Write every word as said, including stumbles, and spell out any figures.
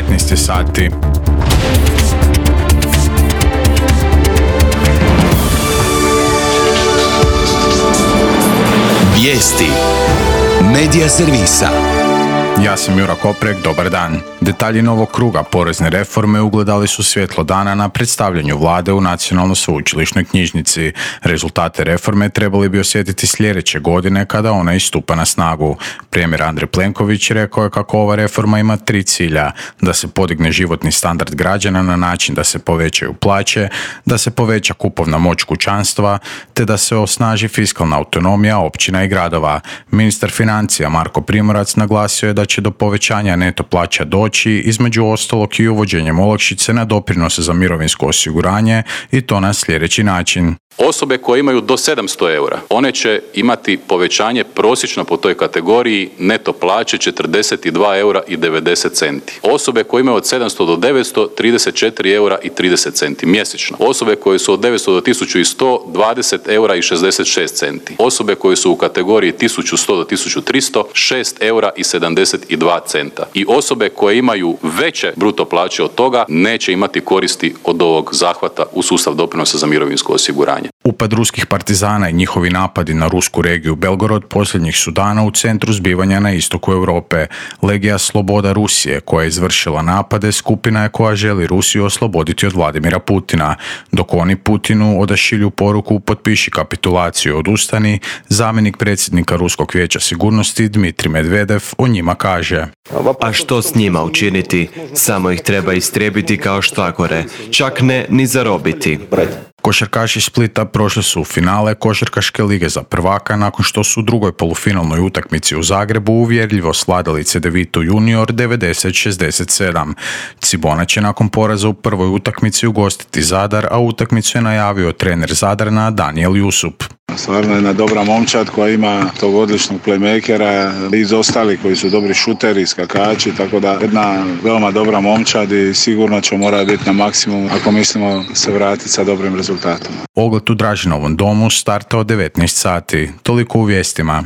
devetnaest je sati. Vijesti Medija servisa. Ja sam Jura Koprek, dobar dan. Detalji novog kruga porezne reforme ugledali su svjetlo dana na predstavljanju vlade u Nacionalnoj sveučilišnoj knjižnici. Rezultate reforme trebali bi osjetiti sljedeće godine kada ona istupa na snagu. Premijer Andrej Plenković rekao je kako ova reforma ima tri cilja: da se podigne životni standard građana na način da se povećaju plaće, da se poveća kupovna moć kućanstva, te da se osnaži fiskalna autonomija općina i gradova. Ministar financija Marko Primorac naglasio je da će do povećanja neto plaća doći, između ostalog i uvođenjem olakšice na doprinose za mirovinsko osiguranje, i to na sljedeći način. Osobe koje imaju do sedamsto eura, one će imati povećanje prosječno po toj kategoriji neto plaće četrdeset dva eura i devedeset centi. Osobe koje imaju od sedamsto do devetsto, trideset četiri eura i trideset centi mjesečno. Osobe koje su od devetsto do tisuću sto, dvadeset eura i šezdeset šest centi. Osobe koje su u kategoriji tisuću sto do tisuću tristo, šest eura i sedamdeset dva centa. I osobe koje imaju veće bruto plaće od toga neće imati koristi od ovog zahvata u sustav doprinosa za mirovinsko osiguranje. Upad ruskih partizana i njihovi napadi na rusku regiju Belgorod posljednjih su dana u centru zbivanja na istoku Europe. Legija Sloboda Rusije, koja je izvršila napade, skupina je koja želi Rusiju osloboditi od Vladimira Putina. Dok oni Putinu odašilju poruku potpiši kapitulaciju, odustani, zamjenik predsjednika Ruskog vijeća sigurnosti Dmitrij Medvedev o njima kaže: A što s njima učiniti? Samo ih treba istrijebiti kao štagore, čak ne ni zarobiti. Košarkaši Splita prošli su u finale košarkaške lige za prvaka nakon što su u drugoj polufinalnoj utakmici u Zagrebu uvjerljivo svladali Cedevitu Junior devedeset šezdeset sedam. Cibona će nakon poraza u prvoj utakmici ugostiti Zadar, a utakmicu je najavio trener Zadrana Danijel Jusup. Stvarno jedna dobra momčad koja ima tog odličnog playmakera, iz ostali koji su dobri šuteri, skakači, tako da jedna veoma dobra momčad i sigurno će morati biti na maksimum ako mislimo se vratiti sa dobrim rezultatom. Ogled u Dražinovom domu starta od devetnaest sati. Toliko u vijestima.